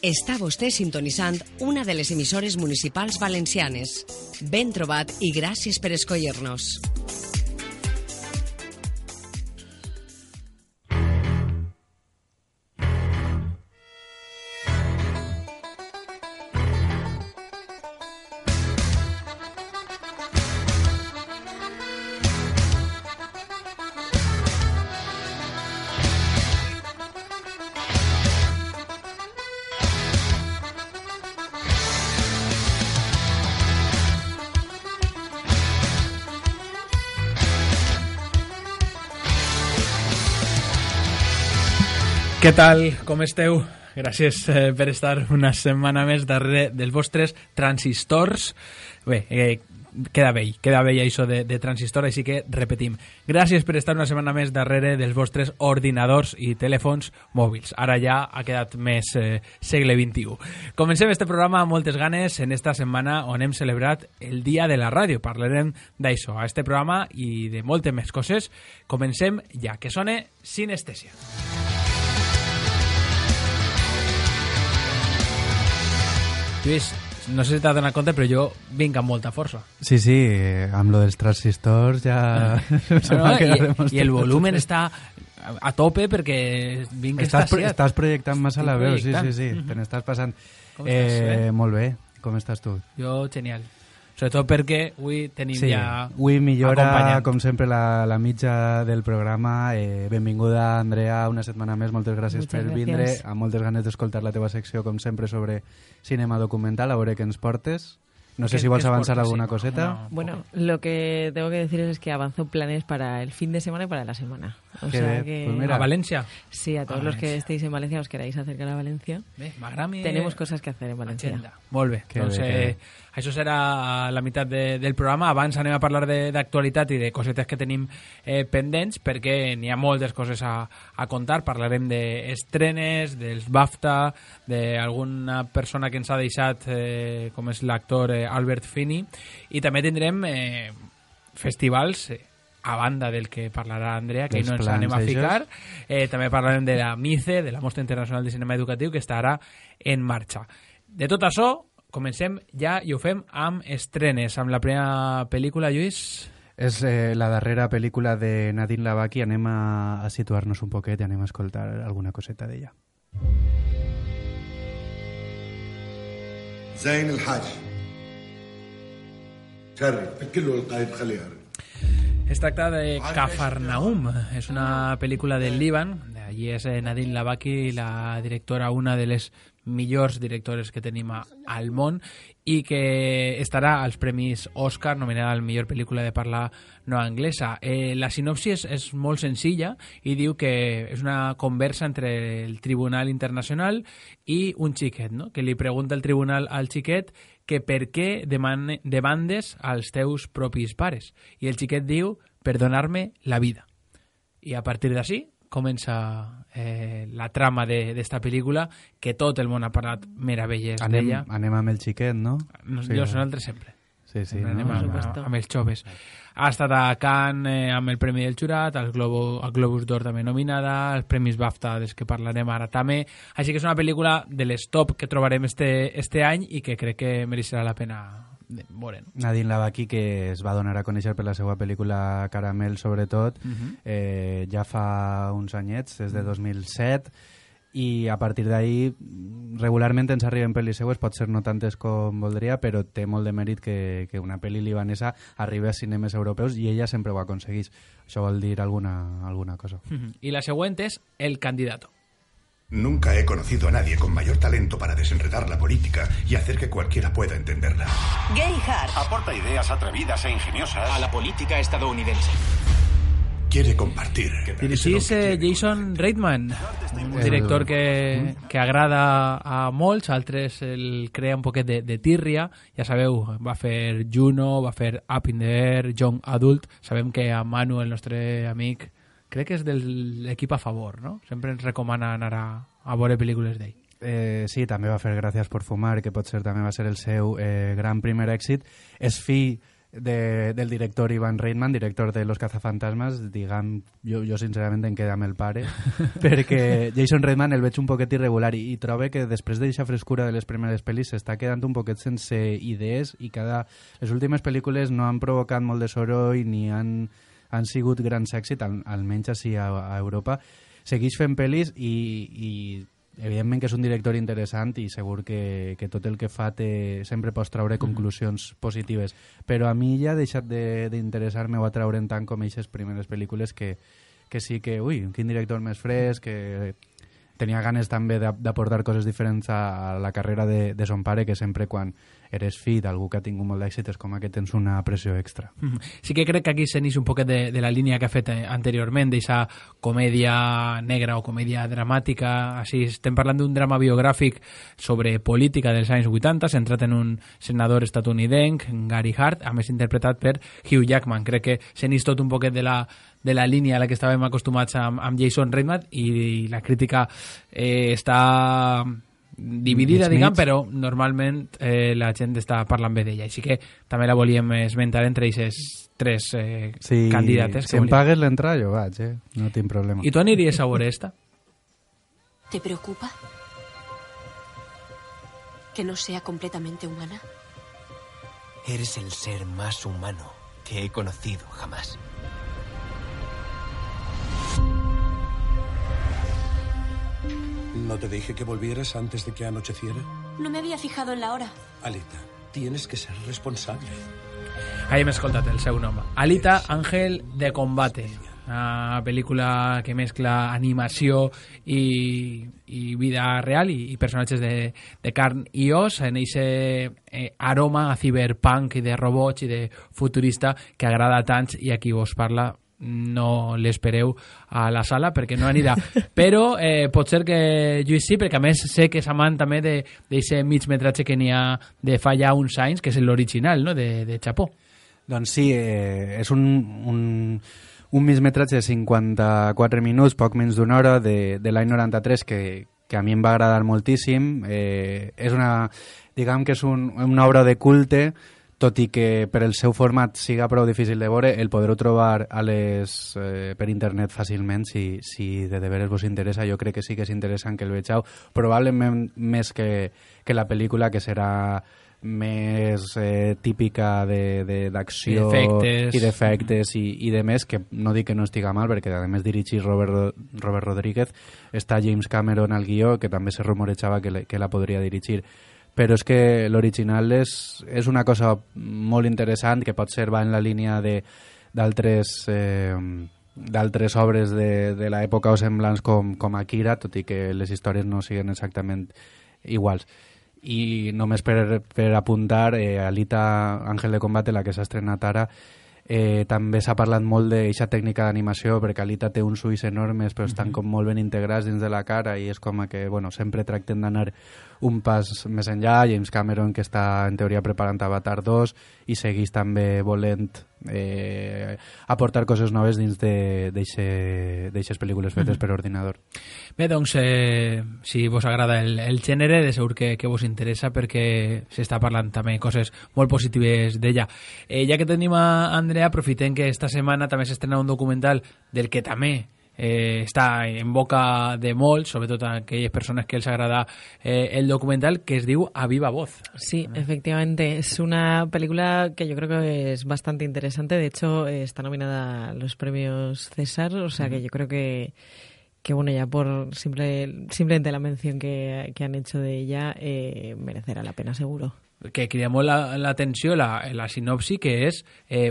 Està vostè sintonitzant una de les emissores municipals valencianes. Ben trobat i gràcies per escollir-nos. Què tal? Com esteu? Gràcies per estar una setmana més darrere dels vostres transistors. Bé, queda vell això de transistor, així que repetim. Gràcies per estar una setmana més darrere dels vostres ordinadors i telèfons mòbils. Ara ja ha quedat més segle XXI. Comencem este programa amb moltes ganes en esta setmana on hem celebrat el Dia de la Ràdio. Parlarem d'això, a este programa i de moltes més coses. Comencem ja, que sone Sinestèsia. Lluís, no sé si t'has donat compte, però jo vinc amb molta força. Sí, amb lo dels transistors ja... I el volumen està a tope perquè vinc estàs projectant massa la veu, sí. Te n'estàs passant. Com estàs? Molt bé, com estàs tu? Jo, genial. Sobretot perquè avui tenim ja avui millora, acompanyant. com sempre, la mitja del programa. Benvinguda, Andrea, una setmana més. Moltes gràcies per vindre. Amb moltes ganes d'escoltar la teva secció, com sempre, sobre cinema documental. A veure què ens portes. No sé si vols avanzar alguna coseta. No, bueno, lo que tengo que deciros es que avanzo planes para el fin de semana y para la semana. O sea que... Pues mira. ¿A Valencia? Sí, a todos los que estéis en Valencia, os queráis acercar a Valencia. Tenemos cosas que hacer en Valencia. Agenda. Molt bé. Doncs això serà la meitat del programa. Abans anem a parlar d'actualitat i de cosetes que tenim pendents, perquè n'hi ha moltes coses a contar. Parlarem d'estrenes, dels BAFTA, d'alguna persona que ens ha deixat, com és l'actor Albert Finney, i també tindrem festivals a banda del que parlarà Andrea, que no ens anem a ficar. També parlarem de la MICE, de la Mostra Internacional de Cinema Educatiu, que estarà en marxa. De tot això, comencem ja i ho fem amb estrenes. Amb la primera pel·lícula, Lluís... És la darrera pel·lícula de Nadine Lavaki. Anem a situar-nos un poquet i anem a escoltar alguna coseta d'ella. Zain el-Haj. Es tracta de Cafarnaum, és una pel·lícula del Líban. Allí és Nadine Lavaki, la directora, una de les millors directores que tenim al món, i que estarà als Premis Òscar, nominada a la millor pel·lícula de parla no anglesa. La sinopsi és molt senzilla i diu que és una conversa entre el Tribunal Internacional i un xiquet, no? Que li pregunta el tribunal al xiquet que per què demandes als teus propis pares. I el xiquet diu, per donar-me la vida. I a partir d'ací comença la trama d'esta pel·lícula, que tot el món ha parlat meravelles d'ella. Anem amb el xiquet, no? Nosaltres sempre. Sí, anem amb els joves. Ha estat a Cannes amb el Premi del Jurat, al Globus d'Or també nominada, els Premis BAFTA dels que parlarem ara també. Així que és una pel·lícula de les top que trobarem este any i que crec que mereixerà la pena veure. Nadine Lavaki, que es va donar a conèixer per la seva pel·lícula Caramel, sobretot, ja fa uns anyets, des de 2007, i a partir d'ahí regularment ens arriben pel·lis seues, pot ser no tantes com voldria, però té molt de mèrit que una pel·li libanesa arribi a cinemes europeus, i ella sempre ho aconsegueix. Això vol dir alguna cosa. I la següent és El Candidato. Nunca he conocido a nadie con mayor talento para desenredar la política y hacer que cualquiera pueda entenderla. Gary Hart aporta ideas atrevidas e ingeniosas a la política estadounidense. Quiere compartir. Dirigís Jason Reitman, un director que agrada a molts, altres el crea un poquet de tírria. Ja sabeu, va fer Juno, va fer Up in the Air, Young Adult. Sabem que a Manu, el nostre amic, crec que és de l'equip a favor, no? Sempre ens recomana anar a veure pel·lícules d'ell. Sí, també va fer Gràcies por fumar, que potser també va ser el seu gran primer èxit. És fill del director Ivan Reitman, director de Los cazafantasmes, diguem, jo sincerament em queda amb el pare, perquè Jason Reitman el veig un poquet irregular i trobo que després d'eixa frescura de les primeres pel·lis s'està quedant un poquet sense idees i les últimes pel·lícules no han provocat molt de soroll ni han sigut grans èxits, almenys així a Europa. Segueix fent pel·lis i evidentment que és un director interessant i segur que tot el que fa sempre pots treure conclusions positives, però a mi ja ha deixat d'interessar-me o atraure'n tant com aquestes primeres pel·lícules que sí que, quin director més fresc, que tenia ganes també d'aportar coses diferents a la carrera de son pare, que sempre quan eres fill d'algú que ha tingut molt d'èxit és com que tens una pressió extra. Sí que crec que aquí s'enix un poquet de la línia que ha fet anteriorment, d'eixa comèdia negra o comèdia dramàtica. Així estem parlant d'un drama biogràfic sobre política dels anys 80, centrat en un senador estatunidenc, Gary Hart, a més interpretat per Hugh Jackman. Crec que s'enix tot un poquet de la línia a la que estàvem acostumats amb Jason Reitman, i la crítica està dividida, diguem, però normalment la gent està parlant bé d'ella, així que també la volíem esmentar entre aquestes tres candidates. Si em pagues l'entrada jo vaig, no tinc problema. I tu aniries a veure esta? ¿Te preocupa que no sea completamente humana? Eres el ser más humano que he conocido jamás. ¿No te dije que volvieras antes de que anocheciera? No me había fijado en la hora. Alita, tienes que ser responsable. Ahí hem escoltat el seu nom. Alita, Ángel de Combate. Una pel·lícula que mescla animació i vida real i personatges de carn i os en aquest aroma a cyberpunk i de robots i de futurista que agrada tant, i aquí vos parla no l'espereu a la sala perquè no anirà, però pot ser que Lluís sí, perquè a més sé que és amant també d'aquest mig metratge que n'hi ha de fa ja uns anys, que és l'original, no?, de Chapó. Doncs sí, és un mig metratge de 54 minuts, poc menys d'una hora, de l'any 93, que a mi em va agradar moltíssim. És diguem que és una obra de culte, tot i que per el seu format siga prou difícil de veure, el podreu trobar per internet fàcilment si de veres vos interessa. Jo crec que sí que és interessant que el vegeu, probablement més que la pel·lícula, que serà més típica d'acció i d'efectes i de més, que no dic que no estiga mal, perquè a més dirigir Robert Rodríguez, està James Cameron al guió, que també se rumorejava que la podria dirigir. Però és que l'original és una cosa molt interessant, que potser va en la línia d'altres obres de l'època o semblants com Akira, tot i que les històries no siguin exactament iguals. I només per apuntar, Alita, Ángel de Combate, la que s'ha estrenat ara, també s'ha parlat molt d'aquesta tècnica d'animació, perquè Alita té uns ulls enormes però estan com molt ben integrats dins de la cara, i és com que sempre tracten d'anar un pas més enllà. James Cameron, que està en teoria preparant Avatar 2 i segueix també volent aportar coses noves dins d'eixes pel·lícules fetes per ordinador. Bé, doncs, si vos agrada el gènere, de segur que vos interessa, perquè s'està parlant també coses molt positives d'ella. Ja que tenim a Andrea, aprofitem que esta setmana també s'estrena un documental del que també està en boca de molts, sobretot a aquelles persones que els agrada el documental, que es diu A Viva Voz. Sí, efectivamente, es una película que yo creo que es bastante interesante. De hecho, está nominada a los premios César, o sea que yo creo que bueno, ya por simplemente la mención que han hecho de ella, merecerá la pena, seguro. Que crida molt l'atenció la sinopsi, que és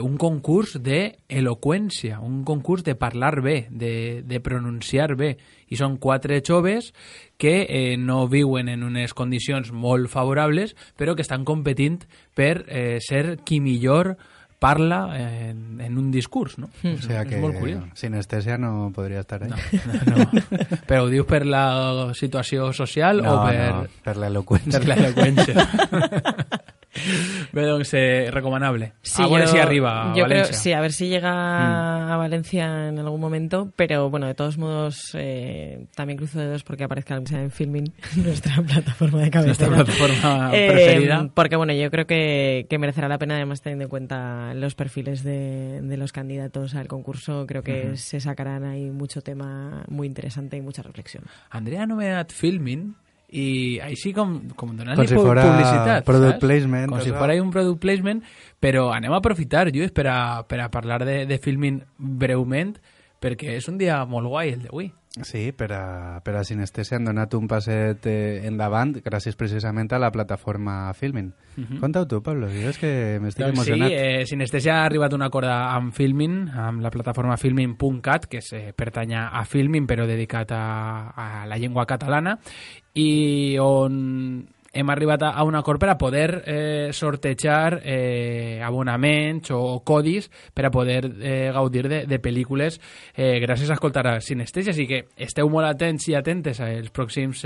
un concurs d'eloqüència, un concurs de parlar bé, de pronunciar bé. I són 4 joves que no viuen en unes condicions molt favorables, però que estan competint per ser qui millor parla en un discurs, no? O sea que sinestèsia no podria estar ahí. No. Però ho dius per la situació social o per... No, per l'eloqüència. Per l'eloqüència. Bé, doncs, recomanable. Sí, a ver si arriba a yo Valencia. Creo, sí, a ver si llega a Valencia en algún momento, pero bueno, de todos modos, también cruzo dedos porque aparezca en Filmin, nuestra plataforma de cabecera. Nuestra plataforma preferida. Porque bueno, yo creo que merecerá la pena, además teniendo en cuenta los perfiles de los candidatos al concurso, creo que se sacarán ahí mucho tema muy interesante y mucha reflexión. Andrea ha nomenat Filmin i així com donant-li si fora publicitat, product saps? placement, com o si sea. fora un product placement, però anem a aprofitar, Lluís, per a parlar de Filmin breument, perquè és un dia molt guai el d'avui. Sí, per a Sinestèsia han donat un passet endavant gràcies precisament a la plataforma Filmin. Conta-ho tu, Pablo, jo és que m'estic emocionat. Sí, Sinestèsia ha arribat a un acord amb Filmin, amb la plataforma filmin.cat, que pertany a Filmin però dedicat a la llengua catalana, i on hem arribat a un acord per a poder sortejar abonaments o codis per a poder gaudir de pel·lícules gràcies a escoltar a Sinestèsia. Així que esteu molt atents i atentes els pròxims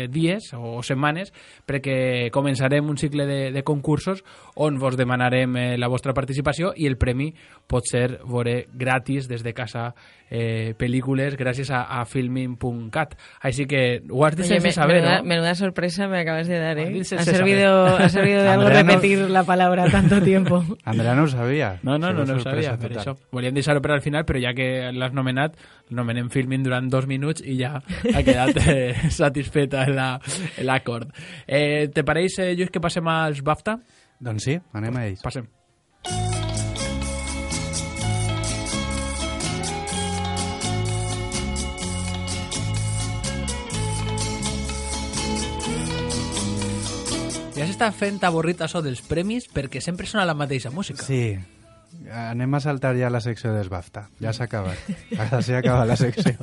dies o setmanes perquè començarem un cicle de concursos on vos demanarem la vostra participació i el premi pot ser veure gratis des de casa pel·lícules gràcies a filmin.cat. Així que ho has de sense saber, ¿no? Menuda sorpresa me acabas de dar, ¿eh? Dirse Ha César. servido de algo Andrea repetir la palabra tanto tiempo. Andrea no ho sabia. No ho Sorpresa sabia, per total. això. Volíem deixar-ho per al final, però ja que l'has nomenat, nomenem Filmin durant 2 minuts i ja ha quedat satisfeta l'acord. Te pareix, Lluís, que passem als BAFTA? Doncs sí, anem a ells. Passem. Ja s'està fent avorrit això dels premis perquè sempre sona la mateixa música. Sí, anem a saltar ja la secció dels BAFTA. Ja s'ha acabat. Ara sí ha acabat la secció.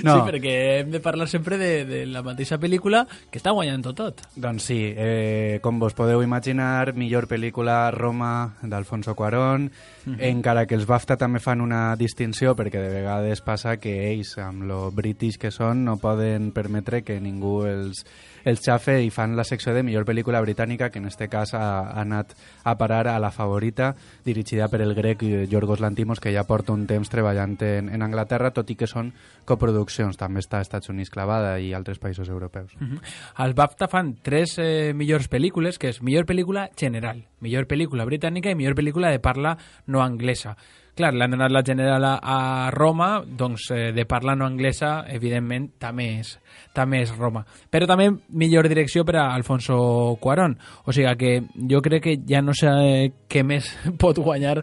No. Sí, perquè hem de parlar sempre de la mateixa pel·lícula que està guanyant tot. Doncs sí, com vos podeu imaginar, millor pel·lícula Roma d'Alfonso Cuarón, encara que els BAFTA també fan una distinció perquè de vegades passa que ells, amb lo british que són, no poden permetre que ningú els xafe i fan la secció de millor pel·lícula britànica, que en este cas ha anat a parar a La Favorita, dirigida per el grec Yorgos Lanthimos, que ja porta un temps treballant en Anglaterra, tot i que són coproduccions. També està als Estats Units clavada i altres països europeus. Els BAFTA fan 3 millors pel·lícules, que és millor pel·lícula general, millor pel·lícula britànica i millor pel·lícula de parla no anglesa. Clar, l'han donat la general a Roma, doncs de parla no anglesa, evidentment, també és Roma. Però també millor direcció per a Alfonso Cuarón. O sigui que jo crec que ja no sé què més pot guanyar,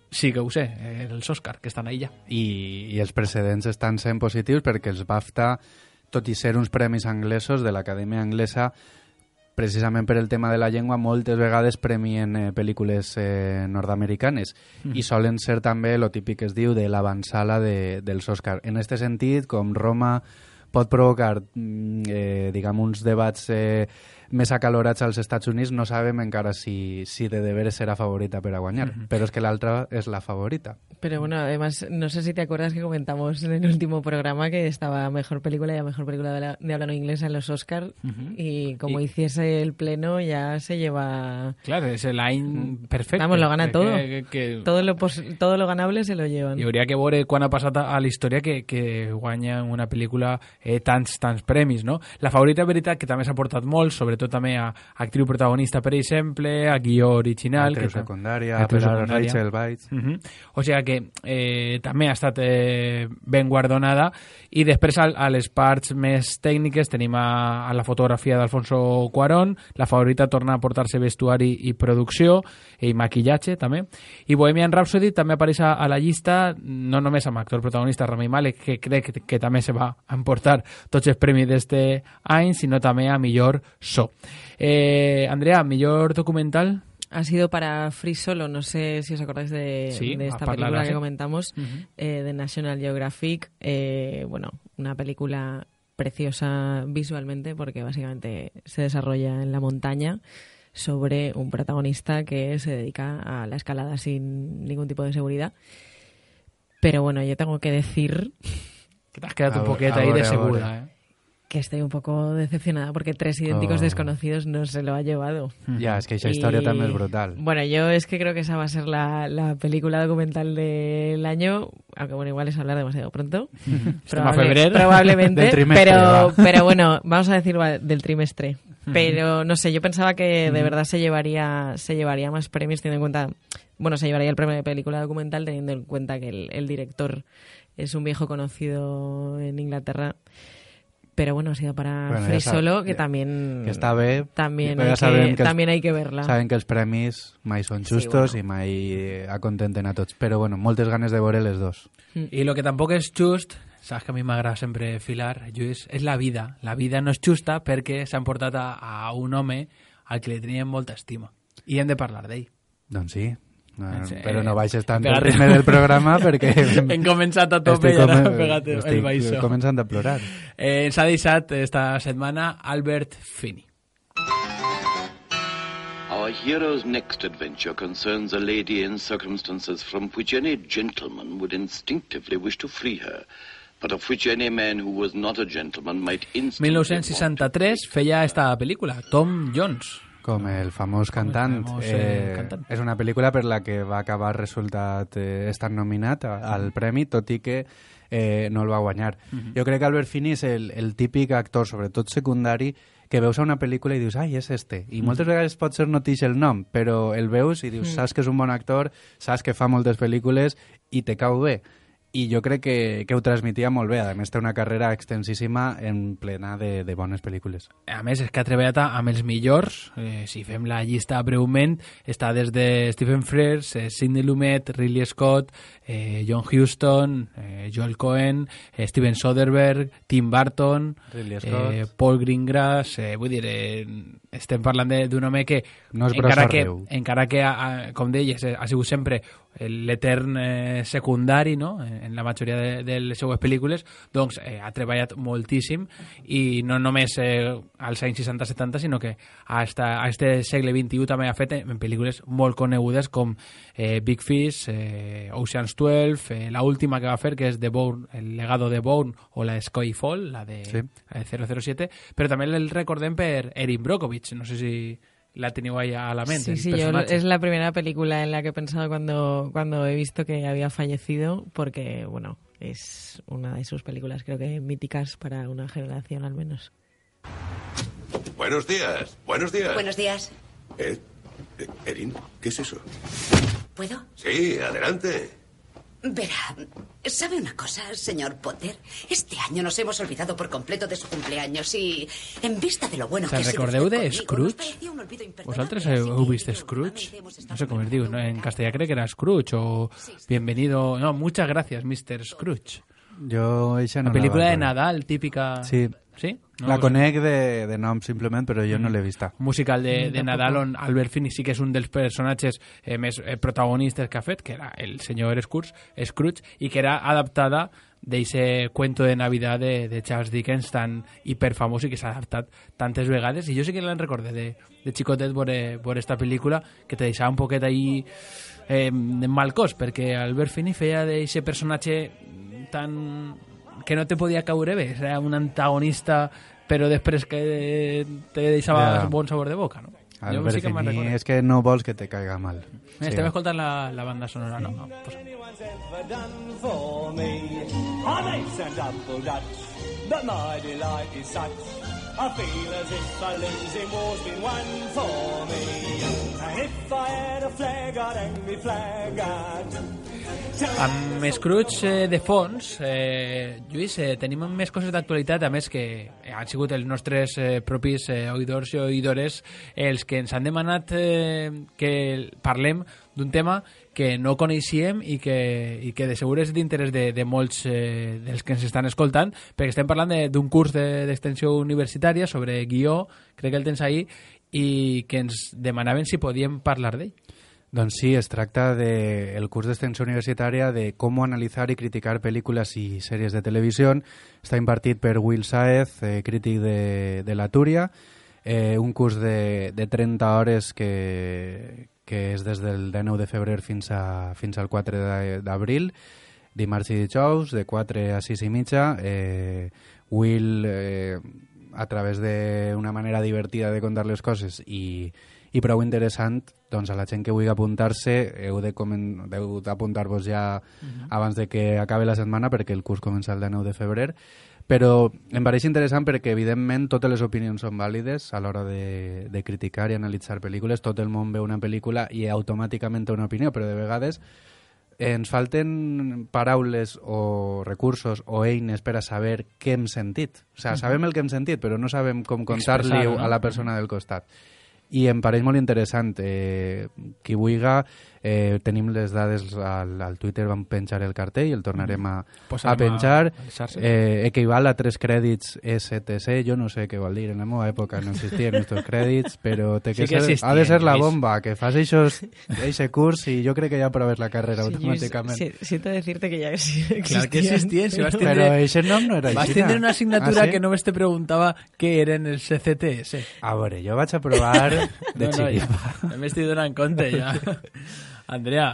sí que ho sé, els Òscar, que estan ahí ja. I els precedents estan sent positius perquè els BAFTA, tot i ser uns premis anglesos de l'Acadèmia Anglesa, precisament per el tema de la llengua, moltes vegades premien pel·lícules nord-americanes i solen ser també lo típic que es diu de l'avançala dels Òscar. En aquest sentit, com Roma pot provocar diguem, uns debats més acalorats als Estats Units, no sabem encara si de deberes serà favorita per a guanyar, però és que l'altra és la favorita. Pero bueno, además, no sé si te acuerdas que comentamos en el último programa que estaba Mejor Película y a Mejor Película de Habla No Inglesa en los Oscar y como hiciese el pleno ya se lleva... Claro, és l'any perfecte. Vamos, lo gana todo. Que... Todo lo ganable se lo llevan. I hauria que veure quan ha passat a la història que guanya una pel·lícula tants premis, no? La Favorita, veritat, que també s'ha portat molt, sobretot també a actriu protagonista, per exemple, a guió original... Actriu secundària, per a Rachel Weisz... O sigui que també ha estat ben guardonada. I després a les parts més tècniques tenim a la fotografia d'Alfonso Cuarón. La Favorita torna a portar-se vestuari i producció i maquillatge també. I Bohemian Rhapsody també apareix a la llista, no només amb actor protagonista Rami Malek, que crec que també se va emportar tots els premis d'este any, sinó també a millor so. Andrea, millor documental? Ha sido para Free Solo, no sé si os acordáis de esta película que comentamos, de National Geographic. Bueno, una película preciosa visualmente porque básicamente se desarrolla en la montaña sobre un protagonista que se dedica a la escalada sin ningún tipo de seguridad. Pero bueno, yo tengo que decir... Que te has quedado un poquet ahí de segura, que estoy un poco decepcionada porque Tres idénticos desconocidos no se lo ha llevado. Ya, es que esa historia también es brutal. Bueno, yo es que creo que esa va a ser la película documental del año, aunque bueno, igual es hablar demasiado pronto. Probablemente, del trimestre, pero bueno, vamos a decir del trimestre. Pero no sé, yo pensaba que de verdad se llevaría más premios teniendo en cuenta, bueno, se llevaría el premio de película documental teniendo en cuenta que el director es un viejo conocido en Inglaterra. Pero bueno, ha sido para Free Solo, que también... Que està bé, también hay que verla. Saben que els premis mai són justos i mai acontenten a tots. Però bueno, moltes ganes de veure les dos. Y lo que tampoco es just, sabes que a mi m'agrada sempre filar, Lluís, és la vida. La vida no és justa perquè s'han portat a un home al que li tenien molta estima. I hem de parlar d'ell. Doncs sí. Però no baixes tant el ritme del programa perquè... Hem començat a tope i ara hem pegat el baixó. Estic començant a plorar. S'ha deixat esta setmana Albert Finney. Our hero's next adventure concerns a lady in circumstances from which any gentleman would instinctively wish to free her, but of which any man who was not a gentleman might instantly... 1963 feia esta pel·lícula, Tom Jones. Com el famós cantant. És una pel·lícula per la que va acabar resultat estar nominat al premi, tot i que no el va guanyar. Jo crec que Albert Finney és el típic actor, sobretot secundari, que veus a una pel·lícula i dius, ai, és este. I moltes vegades pot ser no t'ix el nom, però el veus i dius, saps que és un bon actor, saps que fa moltes pel·lícules i te cau bé. I jo crec que ho transmetia molt bé. A més, té una carrera extensíssima en plena de bones pel·lícules. A més, és que ha treballat amb els millors. Si fem la llista breument, està des de Stephen Frears, Sidney Lumet, Ridley Scott, John Huston, Joel Cohen, Steven Soderbergh, Tim Burton, Paul Greengrass. Vull dir, estem parlant d'un home que, no encara que com deies, ha sigut sempre l'etern secundari, no?, en la majoria de les seues pel·lícules, doncs ha treballat moltíssim i no només als anys 60-70, sinó que a este segle XXI també ha fet en pel·lícules molt conegudes com Big Fish, Ocean's 12, la última que va fer, que és The Bourne, el legado de Bourne, o la Skyfall, la de 007, però també el recordem per Erin Brockovich, no sé si la teniu ahí a la mente. Sí, yo es la primera película en la que he pensado cuando he visto que había fallecido, porque, bueno, es una de sus películas, creo que míticas para una generación al menos. Buenos días, buenos días. Buenos días. Erin, ¿qué es eso? ¿Puedo? Sí, adelante. Verá, ¿sabe una cosa, señor Potter? Este año nos hemos olvidado por completo de su cumpleaños y, en vista de lo bueno que ha sido recordeu usted de conmigo, Scrooge? Vosaltres heu vist Scrooge? No sé com es diu, ¿no? En castellà crec que era Scrooge o Bienvenido... No, muchas gracias, Mr. Scrooge. Jo eixa no la pel·lícula de Nadal, típica... Sí. ¿Sí? No, la conec de nom simplement, però jo no l'he vista. Musical de Nadal on Albert Finney sí que és un dels personatges més protagonistes que ha fet, que era el senyor Scrooge, i que era adaptada d'eixe cuento de Navidad de Charles Dickens tan hiperfamós i que s'ha adaptat tantes vegades. I jo sí que l'en recordé de xicotet veure esta pel·lícula, que te deixava un poquet ahí mal cos, perquè Albert Finney feia d'eixe personatge tan... que no te podia caure bé, era un antagonista però després que te deixava bon sabor de boca, no? Albert sí Finney és que no vols que te caiga mal. Estem escoltant la banda sonora, no? I feel as if a losing war's been won for me. And if I had a flag, I'd hang me flag out. Amb Scrooge de fons, Lluís, tenim més coses d'actualitat, a més que han sigut els nostres propis oïdors i oïdores els que ens han demanat que parlem d'un tema que no coneixíem i que de segur és d'interès de molts dels que ens estan escoltant, perquè estem parlant d'un curs d'extensió universitària sobre guió, crec que el tens ahí, i que ens demanaven si podíem parlar d'ell. Doncs sí, es tracta del curs d'extensió universitària de com analitzar i criticar pel·lícules i sèries de televisió. Està impartit per Will Saez, crític de la Túria, un curs de 30 hores que és des del 19 de febrer fins al 4 d'abril, dimarts i dijous, de 4 a 6 i mitja, Will, a través d'una manera divertida de contar les coses i prou interessant, doncs a la gent que vulgui apuntar-se heu d'apuntar-vos ja abans de que acabi la setmana, perquè el curs comença el 9 de febrer, però em pareix interessant perquè evidentment totes les opinions són vàlides a l'hora de criticar i analitzar pel·lícules. Tot el món veu una pel·lícula i automàticament té una opinió, però de vegades ens falten paraules o recursos o eines per a saber què hem sentit. O sigui, sabem el que hem sentit, però no sabem com contar-li a la persona del costat. I em pareix molt interessant. Qui vulga, tenim les dades al Twitter, vam penjar el cartell i el tornarem a penjar. Equival a 3 crèdits STC, jo no sé què vol dir, en la meva època no existien estos crèdits, però ha de ser la bomba, que fas eixe curs i jo crec que ja proves la carrera automàticament. Siento decirte que ya existien. Clar que existien, si vas tindre... Però eixe nom no era així. Vas tindre una assignatura que només te preguntava què eren els CCTS. A veure, jo vaig a provar de xiripa. Ja m'estic donant compte, ja. Andrea,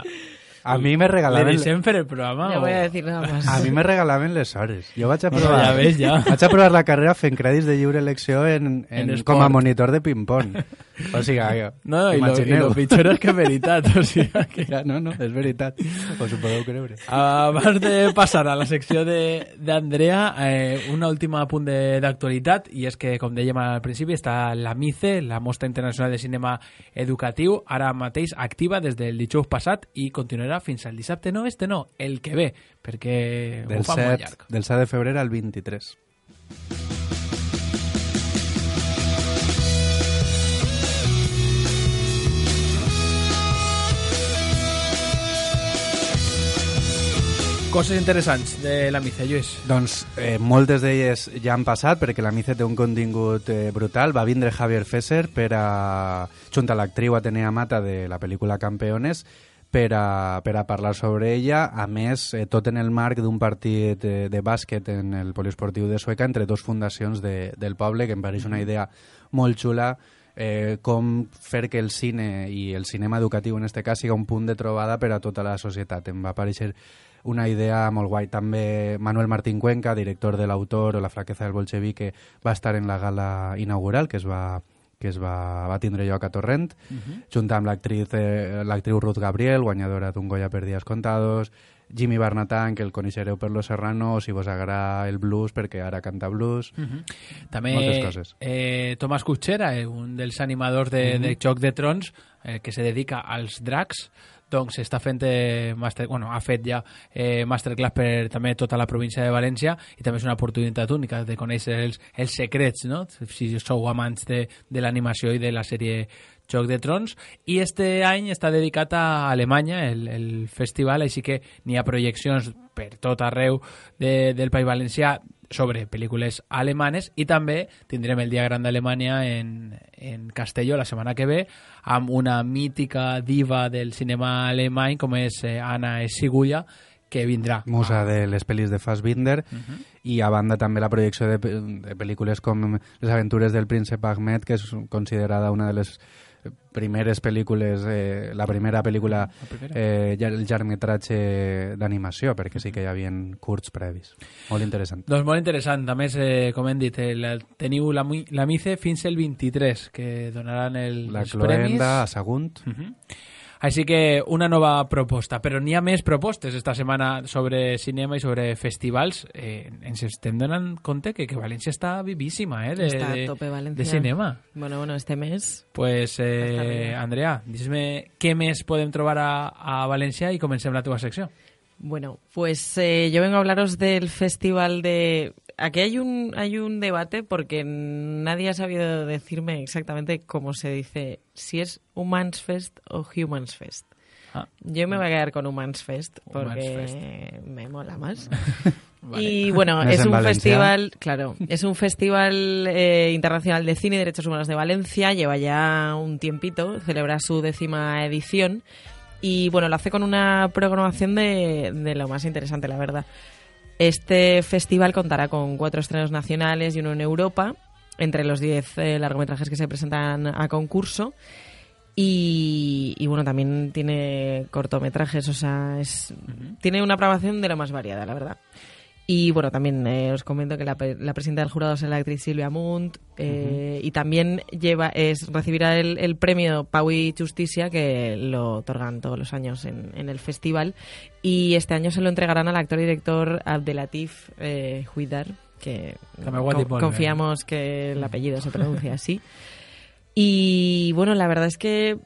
a mi me regalaven... ¿Le deixem fer el programa? No voy a decir nada más. A mi me regalaven les hores. Jo vaig a provar... Ja ves, ja. Vaig a provar la carrera fent crèdits de lliure elecció com a monitor de ping-pong. O sigui, no, i lo pitjor és que és veritat. O sigui, que... ja, no, és veritat. Us ho podeu creure. Abans de passar a la secció d'Andrea, un últim apunt d'actualitat, i és que, com dèiem al principi, està la MICE, la Mostra Internacional de Cinema Educatiu, ara mateix activa des del dijous passat i continuarà fins al dissabte, el que ve, perquè ho fa molt llarg. Del 7 de febrer al 23. Coses interessants de la MICE, Lluís. Doncs moltes d'elles ja han passat, perquè la MICE té un contingut brutal. Va vindre Javier Fesser junt a l'actriu Atenea Mata de la pel·lícula Campeones per a parlar sobre ella, a més tot en el marc d'un partit de bàsquet en el poliesportiu de Sueca entre dos fundacions del poble, que em pareix una idea molt xula, com fer que el cine i el cinema educatiu en este cas siga un punt de trobada per a tota la societat. Em va aparèixer una idea molt guai. També Manuel Martín Cuenca, director de l'Autor o La flaqueza del bolchevique, va estar en la gala inaugural que es va tindre lloc a Torrent, junt amb l'actriu Ruth Gabriel, guanyadora d'un Goya per Días Contados, Jimmy Barnatan, que el coneixereu per Los Serrano, si vos agrada el blues, perquè ara canta blues. També moltes coses. Tomàs Cutxera, un dels animadors de Joc de Trons, que se dedica als dracs, doncs està fent ha fet ja masterclass per també tota la província de València, i també és una oportunitat única de conèixer els secrets, no? Si sou amants de l'animació i de la sèrie Joc de Trons. I este any està dedicat a Alemanya, el festival, així que n'hi ha projeccions per tot arreu del País Valencià sobre pel·lícules alemanes, i també tindrem el Dia Gran d'Alemanya en Castelló la setmana que ve, amb una mítica diva del cinema alemany com és Anna Sigulla, que vindrà. Musa de les pel·lis de Fassbinder, i a banda també la projecció de pel·lícules com Les aventures del príncep Ahmed, que és considerada una de les primeres pel·lícules, la primera pel·lícula, el llargmetratge d'animació, perquè sí que hi havia curts previs. Molt interessant. Doncs molt interessant. A més, com hem dit, teniu la MICE fins el 23, que donaran els premis. La Cloenda, a Sagunt. Així que una nova proposta, però n'hi ha més propostes esta setmana sobre cinema i sobre festivals. Ens estem donant compte que València està vivíssima està a tope, València. De cinema. Bueno, este mes... Pues, Andrea, dis-me què més podem trobar a València i comencem la teva secció. Bueno, pues yo vengo a hablaros del festival de... Aquí hay un debate porque nadie ha sabido decirme exactamente cómo se dice, si es Humans Fest o Humans Fest. Yo me voy a quedar con Humans Fest porque me mola más. Vale. Y bueno, es un festival, claro, es un festival internacional de cine y derechos humanos de Valencia, lleva ya un tiempito, celebra su 10ª edición y bueno, lo hace con una programación de lo más interesante, la verdad. Este festival contará con 4 estrenos nacionales y uno en Europa, entre los 10 largometrajes que se presentan a concurso. Y bueno, también tiene cortometrajes, o sea, tiene una programación de lo más variada, la verdad. Y bueno, también os comento que la presidenta del jurado es la actriz Silvia Munt, y también recibirá el premio Pau i Justicia, que lo otorgan todos los años en el festival, y este año se lo entregarán al actor y director Abdelatif Huidar, que confiamos que el apellido se pronuncia así. Y bueno, la verdad es que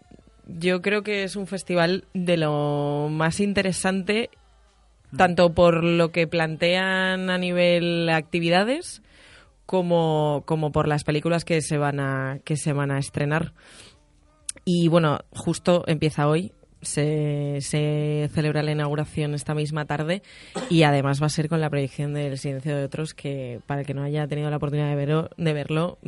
yo creo que es un festival de lo más interesante, tanto por lo que plantean a nivel actividades como por las películas que se van a estrenar. Y bueno, justo empieza hoy, se celebra la inauguración esta misma tarde, y además va a ser con la proyección del Silencio de Otros, que para el que no haya tenido la oportunidad de verlo,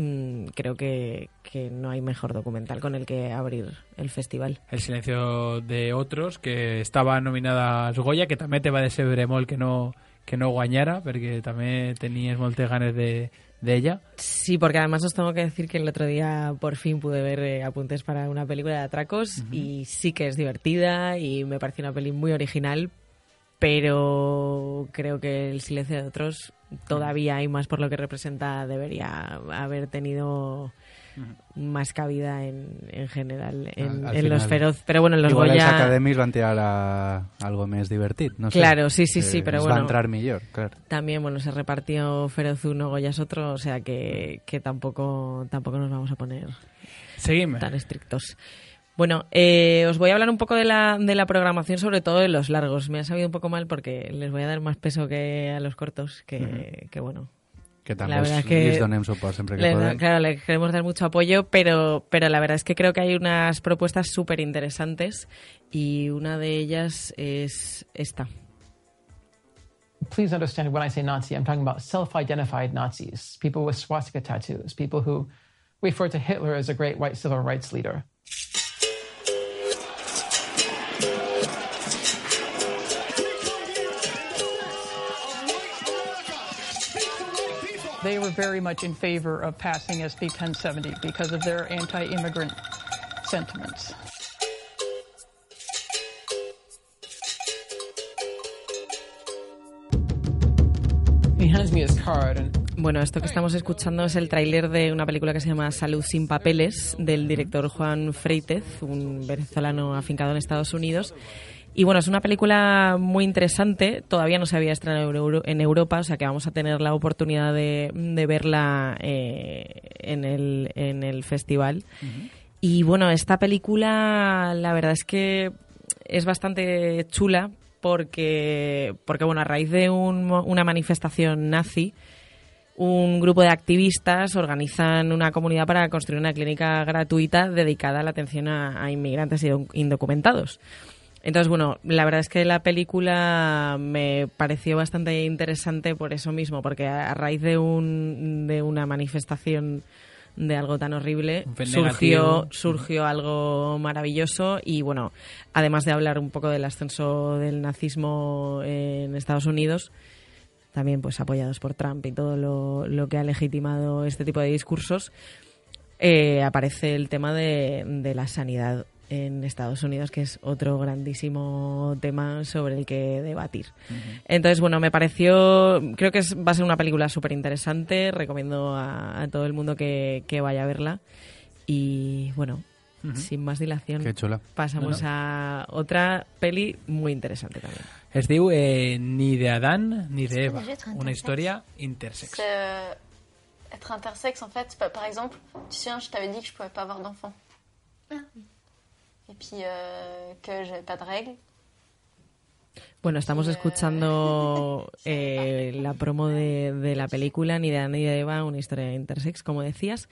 creo que no hay mejor documental con el que abrir el festival. El Silencio de Otros, que estava nominada als Goya, que també te va decebre molt que no guanyara, perquè també tenies moltes ganes d'ella. Sí, porque además os tengo que decir que el otro día por fin pude ver apuntes para una película de atracos, y sí que es divertida y me pareció una peli muy original, pero creo que El Silencio de Otros todavía hay más por lo que representa, debería haber tenido más cabida en general en los Feroz, pero bueno, en los igual Goya... els academis van tirar a algo més divertit, no sé. Claro, sí, pero bueno, va entrar millor, claro. También, bueno, se repartió Feroz uno, Goyas otro, o sea que tampoco nos vamos a poner tan estrictos. Bueno, os voy a hablar un poco de la programación, sobre todo de los largos. Me ha sabido un poco mal porque les voy a dar más peso que a los cortos, que bueno... Que també les donem suport sempre que podem. Claro, le queremos dar mucho apoyo, pero la verdad es que creo que hay unas propuestas súper interesantes, y una de ellas es esta. Please understand when I say Nazi, I'm talking about self-identified Nazis, people with swastika tattoos, people who refer to Hitler as a great white civil rights leader. They were very much in favor of passing SB 1070 because of their anti-immigrant sentiments. He hands me his card and... Bueno, esto que estamos escuchando es el tráiler de una película que se llama Salud sin papeles, del director Juan Freitez, un venezolano afincado en Estados Unidos. Y bueno, es una película muy interesante, todavía no se había estrenado en Europa, o sea que vamos a tener la oportunidad de verla en el festival. Y bueno, esta película la verdad es que es bastante chula porque bueno, a raíz de una manifestación nazi, un grupo de activistas organizan una comunidad para construir una clínica gratuita dedicada a la atención a inmigrantes e indocumentados. Entonces, bueno, la verdad es que la película me pareció bastante interesante por eso mismo, porque a raíz de una manifestación de algo tan horrible surgió algo maravilloso. Y bueno, además de hablar un poco del ascenso del nazismo en Estados Unidos, también pues apoyados por Trump y todo lo que ha legitimado este tipo de discursos, aparece el tema de la sanidad en Estados Unidos, que es otro grandísimo tema sobre el que debatir. Entonces, bueno, me pareció... Creo que va a ser una película súper interesante. Recomiendo a todo el mundo que vaya a verla. Y, bueno, sin más dilación, pasamos a otra peli muy interesante también. Es diu Ni de Adán ni de Eva, una historia intersex. Être intersexe, en fait, par exemple, tu sais, je t'avais dit que je pouvais pas avoir d'enfant. Et puis que j'avais pas de règles. Bueno, estamos escuchando la promo de la película Ni de Adán ni de Eva, una historia intersex, como decías.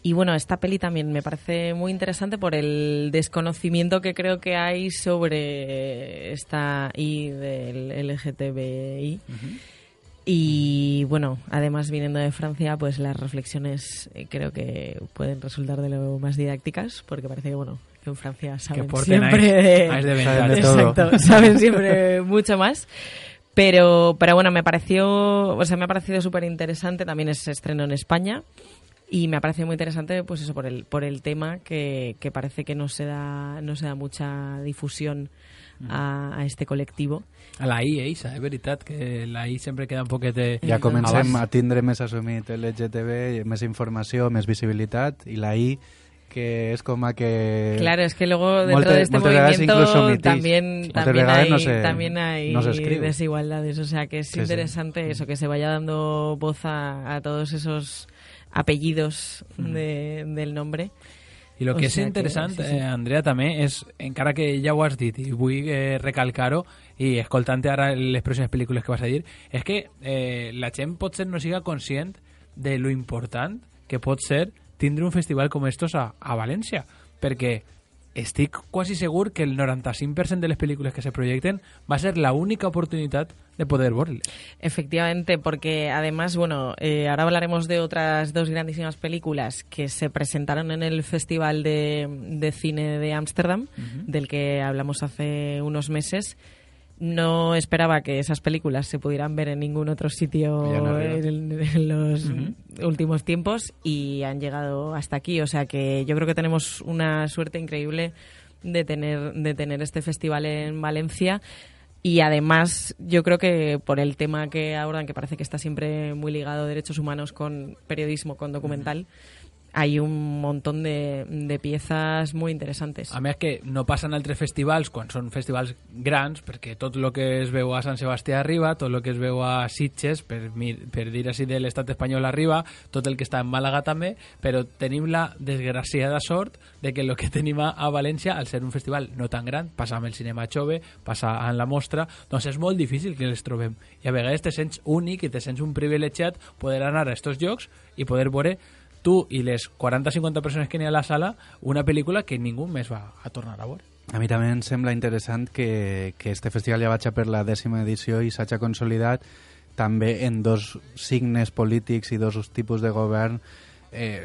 Y bueno, esta peli también me parece muy interesante por el desconocimiento que creo que hay sobre esta I del LGTBI. Y bueno, además viniendo de Francia, pues las reflexiones creo que pueden resultar de lo más didácticas, porque parece que bueno, que en Francia saben siempre de todo. Exacto, saben siempre mucho más. Pero bueno, me ha parecido súper interesante. También es estreno en España y me ha parecido muy interesante, pues eso, por el tema que parece que no se da mucha difusión a este colectivo. A la I, és veritat, que la I sempre queda un poquet... Ja comencem a tindre més assumit LGTB, més informació, més visibilitat, i la I, que es como que... Claro, es que luego dentro de este movimiento también hay desigualdades. O sea, que es interesante eso, que se vaya dando voz a todos esos apellidos del nombre. I el que és interessant, Andrea, també és, encara que ja ho has dit i vull recalcar-ho, i escoltant-te ara les pròximes pel·lícules que vas a dir, és que la gent potser no siga conscient de lo important que pot ser tindre un festival com estos a València, perquè estic quasi segur que el 95% de les pel·lícules que se projecten va a ser la única oportunidad de poder verles. Efectivamente, porque además, bueno, ahora hablaremos de otras dos grandísimas películas que se presentaron en el Festival de Cine de Ámsterdam, del que hablamos hace unos meses. No esperaba que esas películas se pudieran ver en ningún otro sitio en los últimos tiempos y han llegado hasta aquí. O sea que yo creo que tenemos una suerte increíble de tener este festival en Valencia. Y además yo creo que por el tema que abordan, que parece que está siempre muy ligado a derechos humanos con periodismo, con documental, hay un montón de piezas muy interesantes. A més que no passen altres festivals quan són festivals grans, perquè tot el que es veu a Sant Sebastià arriba, tot el que es veu a Sitges, per dir així de l'estat espanyol arriba, tot el que està en Màlaga també, però tenim la desgraciada sort de que el que tenim a València, al ser un festival no tan gran, passa amb el cinema Xove, passa en la mostra, doncs és molt difícil que les trobem. I a vegades te sents únic i te sents un privilegiat poder anar a estos llocs i poder veure tu i les 40-50 persones que n'hi ha a la sala una pel·lícula que ningú més va a tornar a veure. A mi també em sembla interessant que este festival ja vaig per la 10ª edició i s'ha consolidat també en dos signes polítics i dos tipus de govern,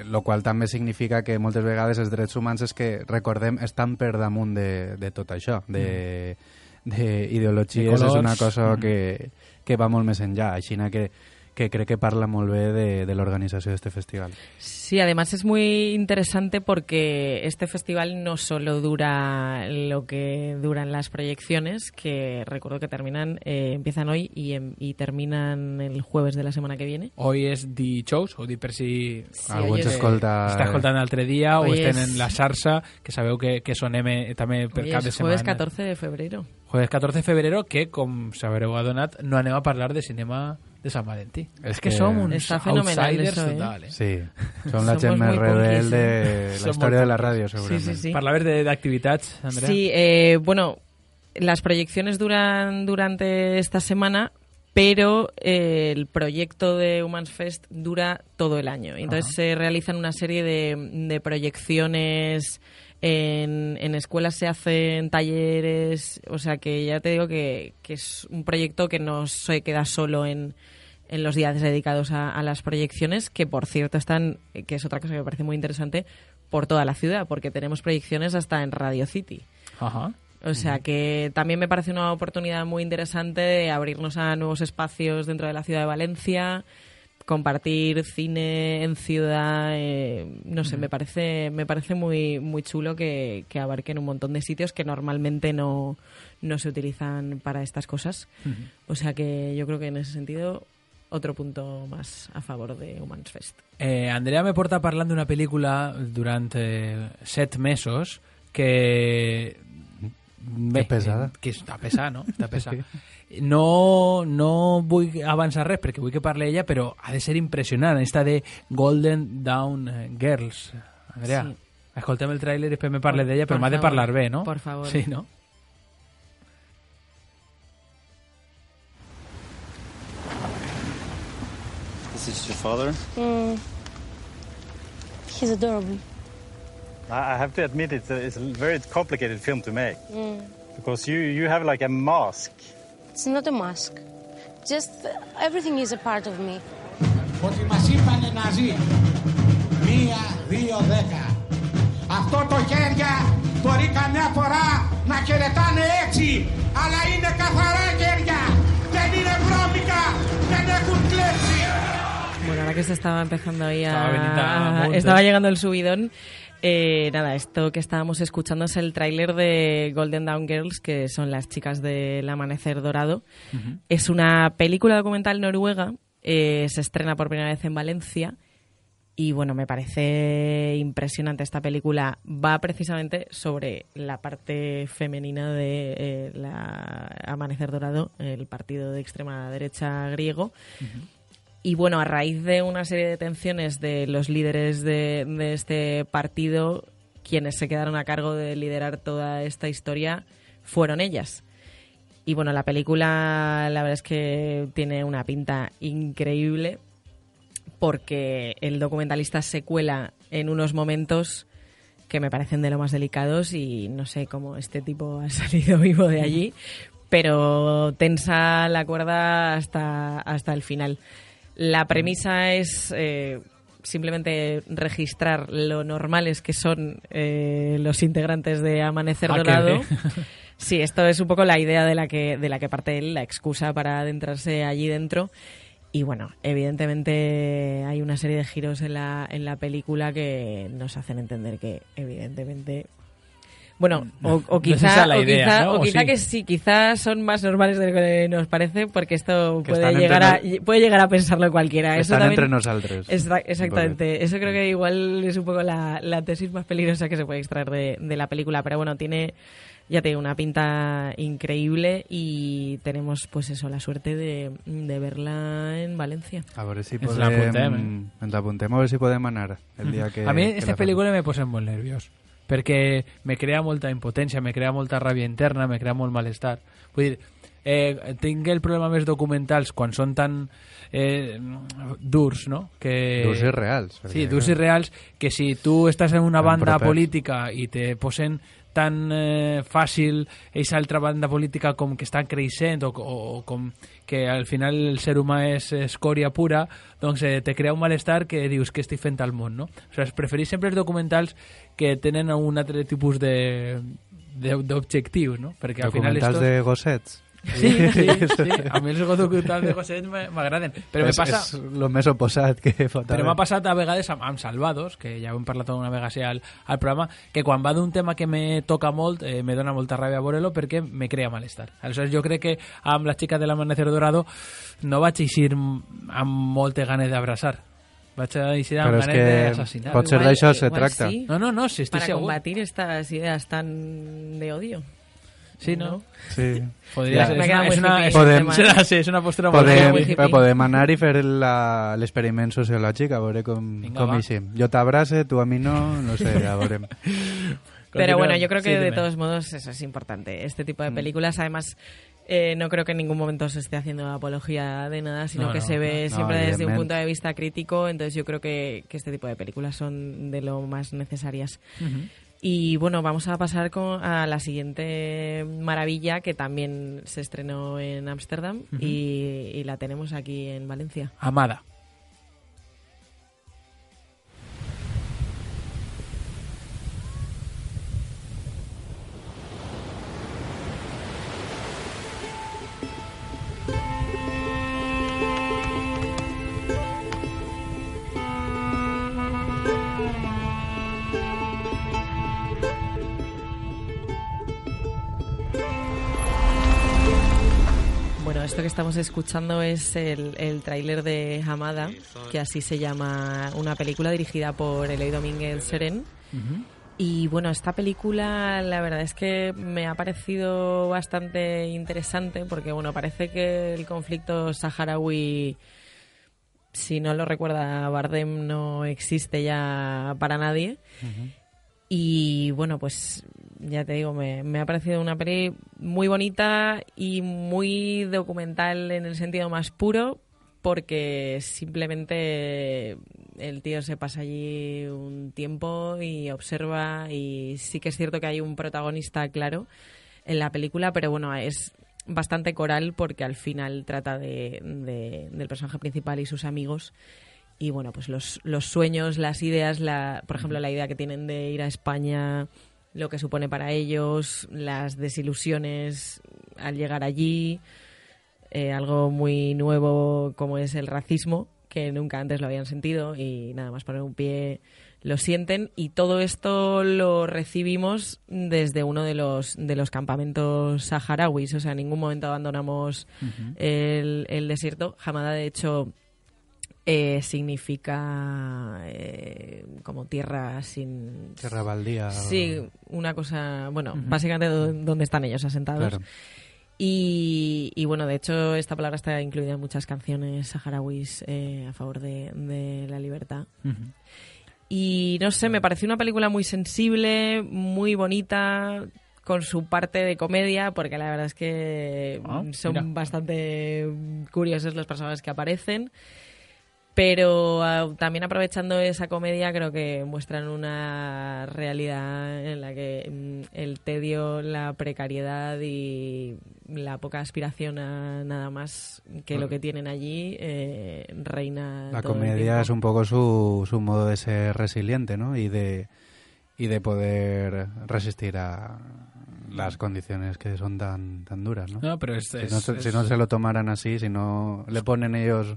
lo qual també significa que moltes vegades els drets humans, és que recordem, estan per damunt de tot això, d'ideologies. És una cosa que va molt més enllà, així que creo que parla molt bé de la organización de este festival. Sí, además es muy interesante porque este festival no solo dura lo que duran las proyecciones, que recuerdo que empiezan hoy y terminan el jueves de la semana que viene. Hoy es dijous, o per si algú ens escolta... Està escoltant l'altre dia o estem en la xarxa, que sabeu que sonem també per cap de setmana. Jueves 14 de febrero. Jueves 14 de febrero, que, com s'haureu adonat, no anem a parlar de cinema de Sant Valentí. És que som uns outsiders totals. Sí, som la gent més rebel de la història de la ràdio, segurament. Sí. Parlaves d'activitats, Andrea. Sí, bueno, las proyecciones duran durante esta semana, pero el proyecto de Humans Fest dura todo el año. Entonces se realizan una serie de proyecciones en escuelas, se hacen talleres, o sea que ya te digo que es un proyecto que no se queda solo en los días dedicados a las proyecciones, que por cierto están, que es otra cosa que me parece muy interesante, por toda la ciudad, porque tenemos proyecciones hasta en Radio City. O sea que también me parece una oportunidad muy interesante de abrirnos a nuevos espacios dentro de la ciudad de Valencia, compartir cine en ciudad, no sé, me parece muy muy chulo que abarquen un montón de sitios que normalmente no se utilizan para estas cosas. O sea que yo creo que en ese sentido otro punto más a favor de Humans Fest. Andrea me porta parlant d'una pel·lícula durant 7 mesos que... Bé, pesada. Que està pesada, no? Està pesada. No vull avançar res perquè vull que parli ella, però ha de ser impressionant. Esta de Golden Dawn Girls. Andrea, sí. Escoltem el tràiler i després me parles d'ella, però m'ha de parlar bé, no? Por favor. Sí, no? This is your father? He's adorable. I have to admit it's a very complicated film to make. Because you have like a mask. It's not a mask. Just everything is a part of me. Ότι μας είπανε να ζει. 1, 2, 10. Αυτό το χέρια μπορεί καμιά φορά να χαιρετάνε έτσι. Αλλά είναι καθαρά χέρια. Δεν είναι βρώμικα. Δεν έχουν κλέψει. Bueno, ahora que se estaba empezando ahí estaba llegando el subidón. Nada, esto que estábamos escuchando es el tráiler de Golden Dawn Girls, que son las chicas del Amanecer Dorado. Es una película documental noruega, se estrena por primera vez en Valencia y bueno, me parece impresionante esta película. Va precisamente sobre la parte femenina de la Amanecer Dorado, el partido de extrema derecha griego. Y bueno, a raíz de una serie de tensiones de los líderes de este partido, quienes se quedaron a cargo de liderar toda esta historia fueron ellas. Y bueno, la película la verdad es que tiene una pinta increíble porque el documentalista se cuela en unos momentos que me parecen de lo más delicados y no sé cómo este tipo ha salido vivo de allí, pero tensa la cuerda hasta el final. La premisa es simplemente registrar lo normales que son los integrantes de Amanecer Dorado. Sí, esto es un poco la idea de la que parte él, la excusa para adentrarse allí dentro. Y bueno, evidentemente hay una serie de giros en la película que nos hacen entender que evidentemente... Bueno, o quizá, no es idea, quizá, ¿no? o quizá sí. Que sí, quizás son más normales de lo que nos parece, porque esto puede llegar a pensarlo cualquiera. Que eso están también, entre nosaltres. Exactamente. Vale. Eso creo que igual es un poco la tesis más peligrosa que se puede extraer de la película. Pero bueno, tiene, ya te digo, una pinta increíble y tenemos pues eso, la suerte de verla en Valencia. A ver si Ens l'apuntem, ens l'apuntem, a ver si podem anar el dia que... A mi que aquesta pel·lícula me posa molt nerviós, perquè me crea molta impotència, me crea molta ràbia interna, me crea molt malestar. Vull dir, tinc el problema més documentals quan són tan durs, no? Que... Durs i reals. Sí, durs i reals, que si tu estàs en una banda política i te posen tan fàcil aquesta altra banda política com que estan creixent o com que al final el ser humà és escòria pura, doncs te crea un malestar que dius que estic fent al món, no? O sigui, preferís sempre els documentals que tenen un altre tipus d'objectius, no? Perquè al final documentals de gossets. Sí. A mi els documentals de gossets m'agraden, però me passa... És el més oposat que pot haver. Però m'ha passat a vegades amb Salvados, que ja ho hem parlat una vegada així al programa, que quan va d'un tema que me toca molt, me dona molta ràbia veure-lo perquè me crea malestar. Aleshores jo crec que amb la xica de l'Amanecer Dorado no vaig eixir amb moltes ganes d'abraçar. Vaig eixir amb ganes d'assassinar. Pot ser d'això se tracta. Sí. No, si estic Para segur. combatir estas ideas tan de odio. Sí, ¿no? Sí. Podria ser. És una postura molt hippie. Podem anar i fer l'experiment sociològic, a veure com eixim. Jo t'abrace, tu a mi no sé, ja veurem. Pero bueno, yo creo que de todos modos eso es importante. Este tipo de películas, además, no creo que en ningún momento se esté haciendo apología de nada, sino que se ve siempre desde un punto de vista crítico. Entonces yo creo que este tipo de películas son de lo más necesarias. Y bueno, vamos a pasar a la siguiente maravilla que también se estrenó en Ámsterdam y la tenemos aquí en Valencia. Amada. Bueno, esto que estamos escuchando es el tráiler de Amada, que así se llama, una película dirigida por Eloi Domínguez Seren. Y bueno, esta película la verdad es que me ha parecido bastante interesante porque bueno, parece que el conflicto saharaui, si no lo recuerda Bardem, no existe ya para nadie. Y bueno, pues ya te digo, me ha parecido una peli muy bonita y muy documental en el sentido más puro, porque simplemente el tío se pasa allí un tiempo y observa, y sí que es cierto que hay un protagonista claro en la película, pero bueno, es bastante coral porque al final trata del personaje principal y sus amigos. Y bueno, pues los sueños, las ideas, por ejemplo, la idea que tienen de ir a España, lo que supone para ellos, las desilusiones al llegar allí, algo muy nuevo como es el racismo, que nunca antes lo habían sentido, y nada más poner un pie lo sienten, y todo esto lo recibimos desde uno de los campamentos saharauis. O sea, en ningún momento abandonamos el desierto. Hamada, de hecho, significa como tierra sin... Tierra baldía. Sí, una cosa... Bueno, básicamente donde están ellos asentados. Claro. Y bueno, de hecho, esta palabra está incluida en muchas canciones saharauis a favor de la libertad. Y no sé, me pareció una película muy sensible, muy bonita, con su parte de comedia, porque la verdad es que son bastante curiosos los personajes que aparecen. Pero también, aprovechando esa comedia, creo que muestran una realidad en la que el tedio, la precariedad y la poca aspiración a nada más que lo que tienen allí reina. La todo el comedia tiempo. es un poco su modo de ser resiliente, ¿no? Y de poder resistir a las condiciones que son tan duras, ¿no? No, pero si no se lo tomaran así, si no le ponen ellos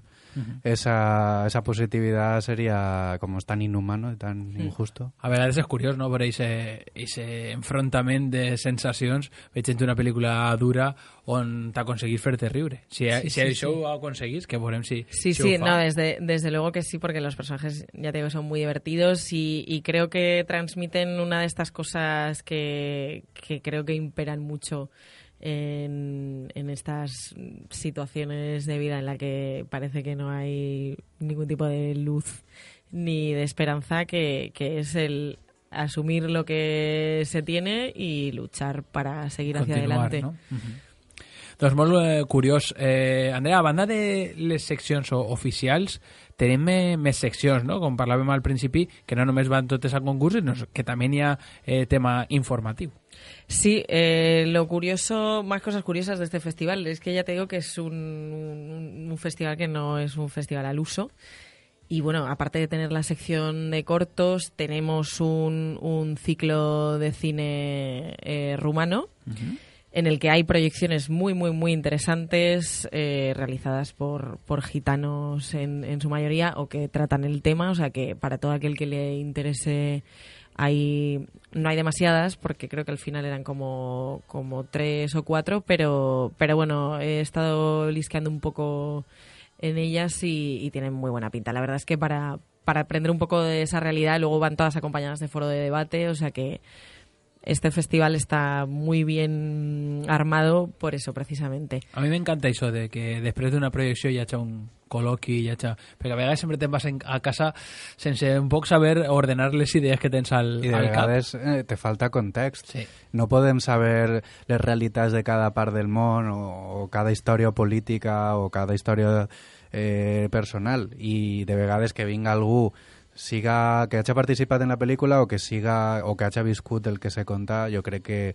esa positividad, sería como tan inhumano y tan injusto. A vegades és curiós, no?, veure ese enfrontament de sensacions. Veig en una pel·lícula dura on t'aconseguís fer-te riure. Si això ho aconseguís, que veurem si ho fa. No, desde luego que sí, porque los personajes, ya te digo, son muy divertidos y creo que transmiten una de estas cosas que creo que imperan mucho en estas situaciones de vida en la que parece que no hay ningún tipo de luz ni de esperanza, que es el asumir lo que se tiene y luchar para seguir hacia adelante. No? Doncs molt curiós. Andrea, a banda de les seccions oficials, tenim més seccions, no? Com parlàvem al principi, que no només van totes a concurs, sinó que també hi ha tema informatiu. Sí, lo curioso, más cosas curiosas de este festival, es que ya te digo que es un festival que no es un festival al uso. Y bueno, aparte de tener la sección de cortos, tenemos un ciclo de cine rumano, en el que hay proyecciones muy, muy, muy interesantes realizadas por gitanos en su mayoría, o que tratan el tema. O sea que para todo aquel que le interese, no hay demasiadas, porque creo que al final eran como 3 o 4, pero bueno, he estado lisqueando un poco en ellas y tienen muy buena pinta. La verdad es que para aprender un poco de esa realidad, luego van todas acompañadas de foro de debate, o sea que este festival está muy bien armado por eso, precisamente. A mi m'encanta això de que després d'una projecció hi hagi un col·loqui, perquè a vegades sempre te'n vas a casa sense un poc saber ordenar les idees que tens al cap. I de vegades te falta context. Sí. No podem saber les realitats de cada part del món o cada història política o cada història personal, i de vegades que vinga algú que hagi participat en la pel·lícula o que hagi viscut el que se conta, jo crec que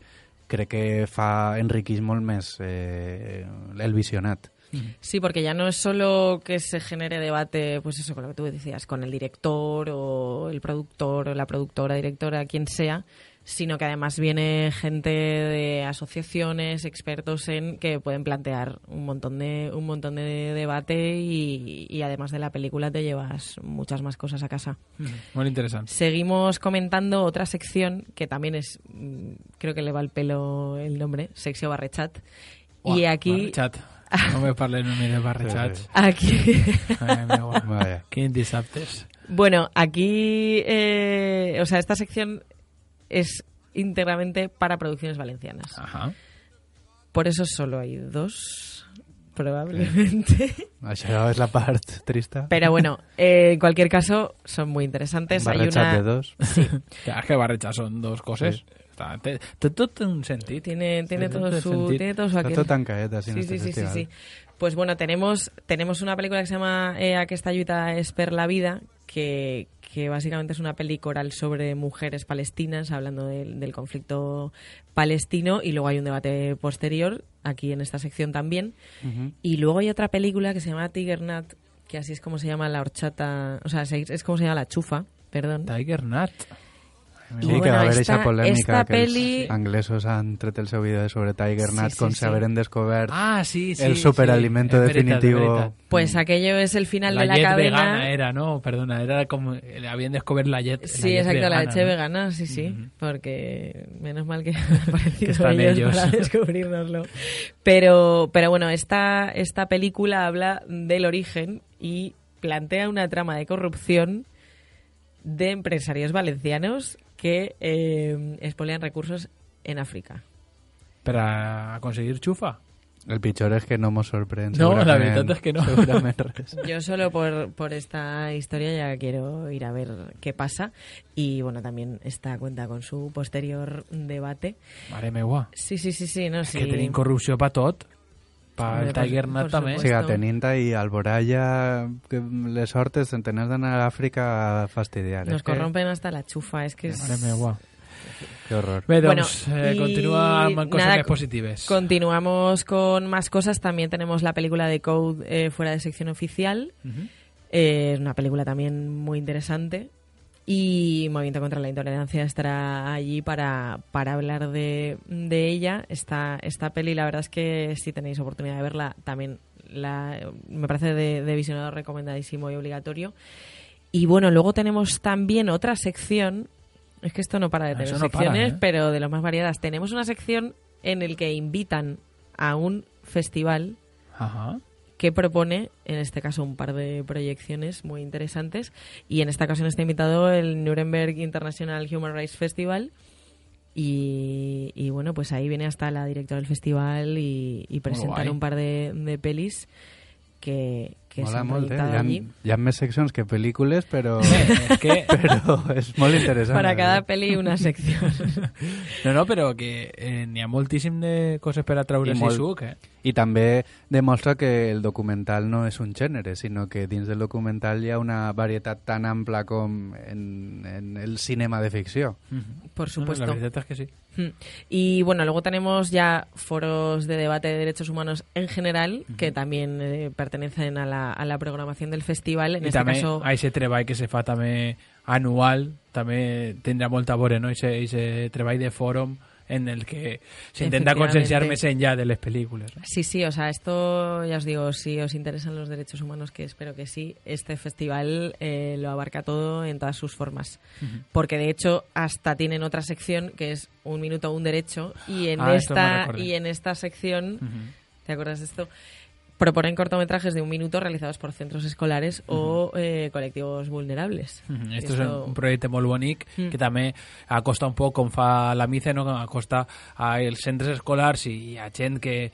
enriqueix molt més el visionat. Sí, porque ya no es solo que se genere debate, pues eso, con lo que tú decías, con el director o el productor o la productora, directora, quien sea, sino que además viene gente de asociaciones, expertos que pueden plantear un montón de debate y además de la película te llevas muchas más cosas a casa. Muy interesante. Seguimos comentando otra sección que también es, creo que le va al pelo el nombre, Secció Barrechat. Y aquí... Barrechat. No me parles només de barrechats. Aquí... Quin dissabtes. Bueno, aquí... o sea, esta sección es íntegramente para producciones valencianas. Ajá. Por eso solo hay 2, probablemente. Això és la part trista. Pero bueno, en cualquier caso, son muy interesantes. Barrechats de 2. Sí. Claro, que barrechats son 2 coses. Sí. Tot un sentit. Tiene todo su aquel. Tot tan caeta, sí. Sí. Pues bueno, tenemos una película que se llama Aquesta lluita és per la vida, que básicamente es una peli coral sobre mujeres palestinas, hablando del conflicto palestino, y luego hay un debate posterior, aquí en esta sección también. Y luego hay otra película que se llama Tiger Nut, que así es como se llama la horchata, o sea, es como se llama la chufa, perdón. Tiger Nut. Sí, bueno, que va a haver aquesta polèmica esta que peli... els anglesos han tret el seu vídeo sobre Tiger Nut com si haberen descobert el superalimento definitivo. Pues aquello es el final de la llet cadena. Vegana era, ¿no? Perdona, era como habían descubierto la llet. Sí, exacto, la leche vegana, sí, porque menos mal que han aparecido están ellos para descubrirnoslo. Pero bueno, esta película habla del origen y plantea una trama de corrupción de empresarios valencianos que expolian recursos en África. ¿Para conseguir xufa? El pitjor és que no mos sorprèn. No, la veritat és que no. Yo solo por esta historia ya quiero ir a ver qué pasa. Y bueno, también esta cuenta con su posterior debate. Mare meua. Sí. No, és que tenim corrupció per tot. Per Tiger Nut també. Sí, tenint ahí Alboraya, que les hortes tenés d'anar a Àfrica a fastidiar. Nos corrompen hasta la chufa, es que... Mare meua. Qué horror. Bé, doncs, continúa con cosas más positivas. Continuamos con más cosas. También tenemos la película de Code fuera de sección oficial. Es una película también muy interesante. Y Movimiento contra la Intolerancia estará allí para hablar de ella. Esta peli, la verdad es que si tenéis oportunidad de verla, también me parece de visionado recomendadísimo y obligatorio. Y bueno, luego tenemos también otra sección. Es que esto no para de tener secciones, pero de lo más variadas. Tenemos una sección en el que invitan a un festival que propone, en este caso, un par de proyecciones muy interesantes. Y en esta ocasión está invitado el Nuremberg International Human Rights Festival. Y bueno, pues ahí viene hasta la directora del festival y presentan un par de pelis que mola s'han molt, proyectado allí. Hi ha més seccions que pel·lícules, però és molt interessant. Para cada peli una sección. No, però que n'hi ha moltíssim de coses per a treure-s'hi suc, I també demostra que el documental no és un gènere, sinó que dins del documental hi ha una varietat tan ampla com en el cinema de ficció. Por supuesto. La veritat és que sí. Y bueno, luego tenemos ya foros de debate de derechos humanos en general, que también pertenecen a la programación del festival. En este caso, a ese treball que se fa també anual, també tindrà molta a veure, no? Ese treball de fòrum en el que se intenta concienciar més enllà de les pel·lícules, ¿no? Sí, o sea, esto ya os digo, si os interesan los derechos humanos, que espero que sí, este festival lo abarca todo en todas sus formas. Porque de hecho hasta tienen otra sección que es Un minuto, un derecho, y en esta sección, ¿te acuerdas de esto? Proponen cortometrajes de 1 minuto realizados por centros escolares o colectivos vulnerables. Esto és un projecte molt bonic que també acosta un poc, com fa la MICE, no? Acosta als centres escolars i a gent que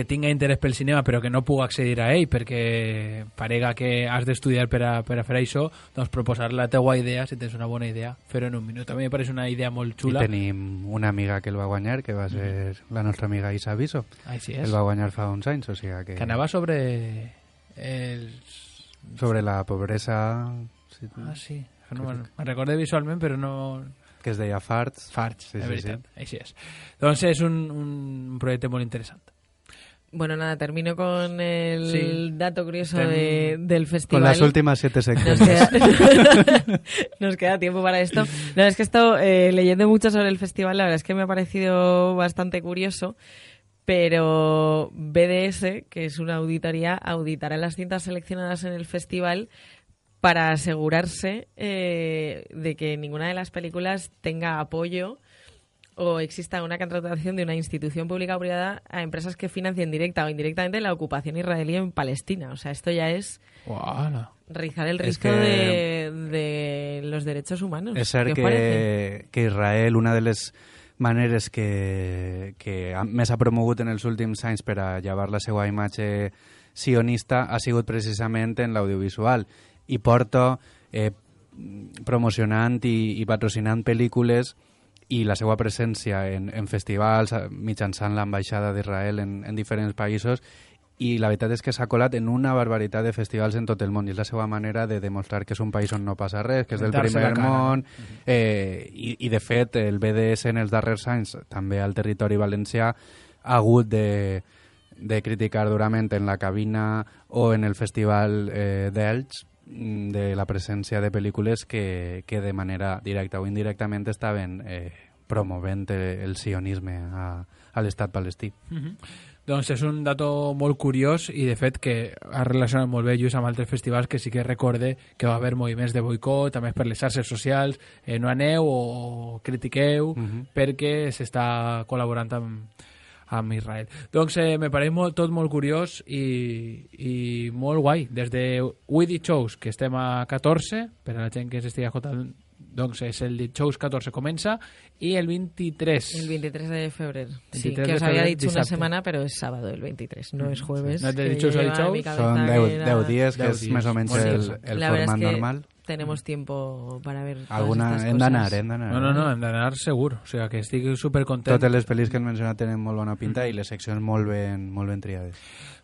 tinga interès pel cinema però que no pugui accedir a ell perquè parega que has d'estudiar per a fer això, doncs proposar la teua idea, si tens una bona idea, fer-ho en 1 minut. A mi em pareix una idea molt xula. I tenim una amiga que el va guanyar, que va ser la nostra amiga Isa Biso. Així és. El va guanyar fa uns anys, o sigui que... Que anava sobre la pobresa. Sí. Sí. No me'n recordo visualment, però no... Que es deia Farts. Farts, de veritat. Així és. Doncs és un projecte molt interessant. Bueno, nada, termino con el dato curioso del festival. Con las últimas 7 secciones. Nos queda tiempo para esto. No, es que esto, leyendo mucho sobre el festival, la verdad es que me ha parecido bastante curioso. Pero BDS, que es una auditoría, auditará las cintas seleccionadas en el festival para asegurarse de que ninguna de las películas tenga apoyo o exista una contratación de una institución pública o privada a empresas que financien directa o indirectamente la ocupación israelí en Palestina. O sea, esto ya es rizar el rizo de los derechos humanos. És cert que Israel, una de les maneres que més ha promogut en els últims anys per a llevar la seva imatge sionista ha sigut precisament en l'audiovisual i porta promocionant i patrocinant pel·lícules i la seva presència en festivals mitjançant l'ambaixada d'Israel en diferents països, i la veritat és que s'ha colat en una barbaritat de festivals en tot el món, i és la seva manera de demostrar que és un país on no passa res, que és del primer món, i de fet el BDS en els darrers anys, també al territori valencià, ha hagut de criticar durament en la cabina o en el festival d'Elx de la presència de pel·lícules que de manera directa o indirectament estaven promovent el sionisme a l'estat palestí. Doncs és un dato molt curiós i de fet que ha relacionat molt bé just amb altres festivals que sí que recorde que va haver moviments de boicot, també per les xarxes socials, no aneu o critiqueu perquè s'està col·laborant amb Israel. Doncs me pareix tot molt curiós i molt guai. Des de We Did Shows, que estem a 14, per a la gent que s'estigui escoltant, doncs és el Shows 14 comença, i el 23. El 23 de febrer. Sí, que os había dicho una semana, pero es sábado el 23, no es jueves. No es de Shows a Shows. Son 10 días, que es más o menos el format normal. Tenemos tiempo para ver alguna todas hem estas d'anar. No, hem d'anar segur. O sigui, que estic supercontent. Totes les pel·lis que hem mencionat tenen molt bona pinta i les seccions molt ben triades.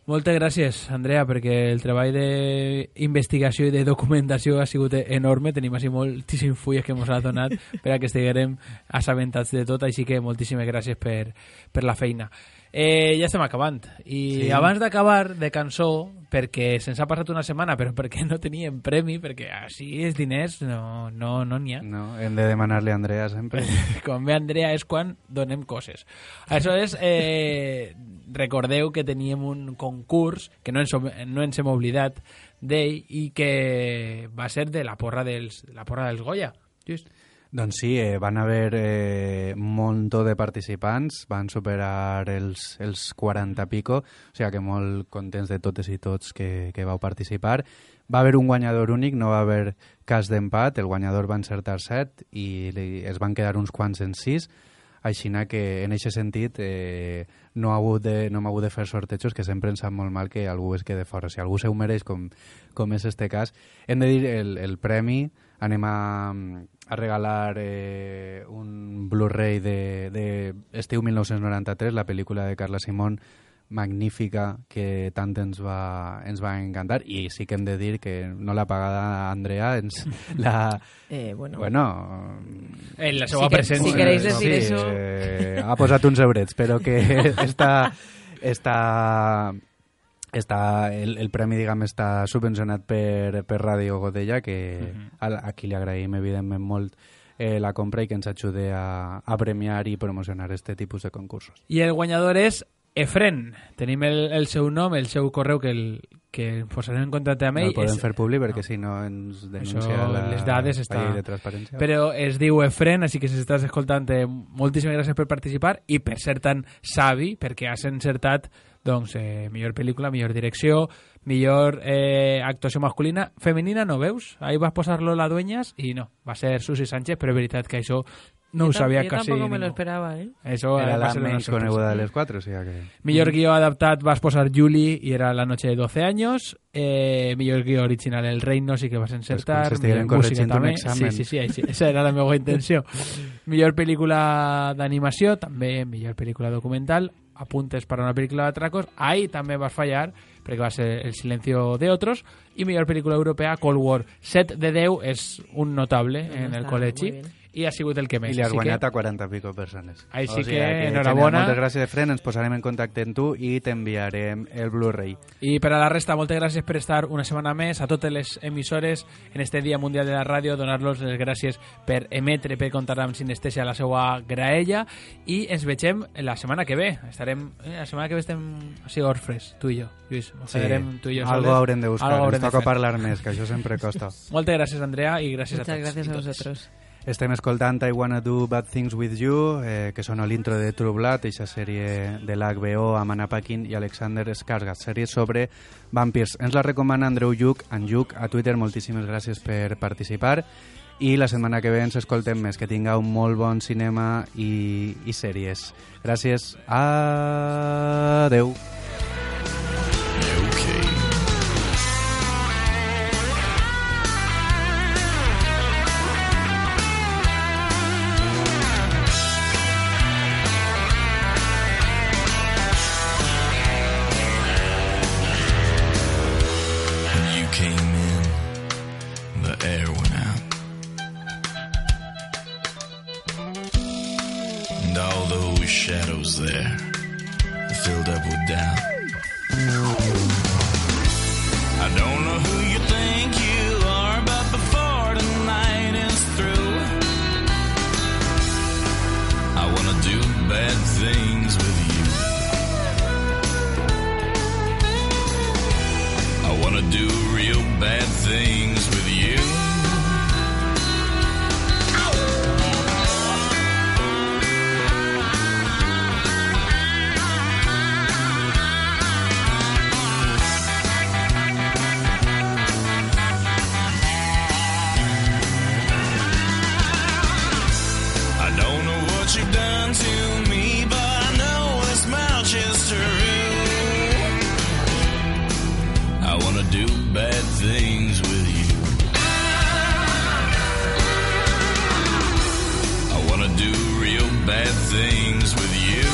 Moltes gràcies, Andrea, perquè el treball d'investigació i de documentació ha sigut enorme. Tenim així moltíssims fulles que ens ha donat per a que estiguem assabentats de tot, així que moltíssimes gràcies per la feina. Ja estem acabant. I abans d'acabar de cançó, perquè se'ns ha passat una setmana, però perquè no teníem premi, perquè així els diners no n'hi ha. No, hem de demanar-li a Andrea sempre. Quan ve Andrea és quan donem coses. Aleshores, recordeu que teníem un concurs que no ens hem oblidat d'ell i que va ser de la porra dels Goya. Just. Doncs sí, van haver un munt de participants, van superar els 40 pico, o sigui que molt contents de totes i tots que vau participar. Va haver un guanyador únic, no va haver cas d'empat, el guanyador va encertar 7 i es van quedar uns quants en 6, així que en aquest sentit no m'ha hagut de fer sortejos, que sempre ens sap molt mal que algú es quede fora. Si algú se ho mereix, com és este cas, hem de dir el premi. Anem a regalar un Blu-ray de estiu 1993, la pel·lícula de Carla Simón, magnífica, que tant ens va encantar, i sí que hem de dir que no l'ha pagada Andrea, la... en la seva presència. Si queréis decir eso... ha posat uns eurets, però que el premi, diguem, està subvencionat per Ràdio Godella, que a qui li agraïm evidentment molt la compra i que ens ajude a premiar i promocionar este tipus de concursos. I el guanyador és Efren. Tenim el seu nom, el seu correu que posarem en contacte amb ell. No el podem fer públic perquè si no ens denuncia les dades la llei de transparència. Però es diu Efren, així que si estàs escoltant, moltíssimes gràcies per participar i per ser tan savi, perquè has encertat millor pel·lícula, millor direcció, millor actuació masculina. Femenina no veus? Ahí vas posar-lo la Dueñas i no, va ser Susi Sánchez, però és veritat que això no ho sabia quasi ningú. Yo tampoco me ningú. lo esperaba, Eso era la més coneguda de les 4, o sigui que... Millor guió adaptat vas posar Julie i era La noche de 12 años. Millor guió original El Reino, sí que vas encertar. Pues millor música també. Sí, esa era la meva intenció. Millor pel·lícula d'animació, també millor pel·lícula documental. Apuntes para una película de atracos, ahí també vas fallar perquè va ser El silencio de otros, i millor pel·lícula europea Cold War. 7 de 10 és un notable en el col·legi i ha sigut el que més. I li has guanyat a 40 pico persones. Així que enhorabona. Moltes gràcies, Efren, ens posarem en contacte amb tu i t'enviarem el Blu-ray. I per a la resta, moltes gràcies per estar una setmana més a totes les emissores en este Dia Mundial de la Ràdio, donar-los les gràcies per emetre, per comptar amb Sinestèsia a la seva graella, i ens vegem la setmana que ve. La setmana que ve estem així orfres, tu i jo, Lluís. Sí, algo haurem de buscar, ens toca parlar més, que això sempre costa. Moltes gràcies, Andrea, i gràcies a tots. Muchas gracias a vosotros. Estem escoltant I Wanna Do Bad Things With You, que sona l'intro de True Blood, eixa sèrie de l'HBO amb Anna Paquin i Alexander Skarsgård, sèrie sobre vampirs. Ens la recomana Andreu Lluc, en Lluc, a Twitter. Moltíssimes gràcies per participar. I la setmana que ve ens escoltem més. Que tingueu un molt bon cinema i sèries. Gràcies. Adeu. Shadows there, filled up with doubt. I don't know who you think you bad things with you. I wanna do real bad things with you. You've done to me, but I know this much is true. I wanna do bad things with you. I wanna do real bad things with you.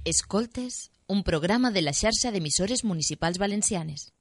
Escoltes, un programa de la xarxa d'emissores municipals valencianes.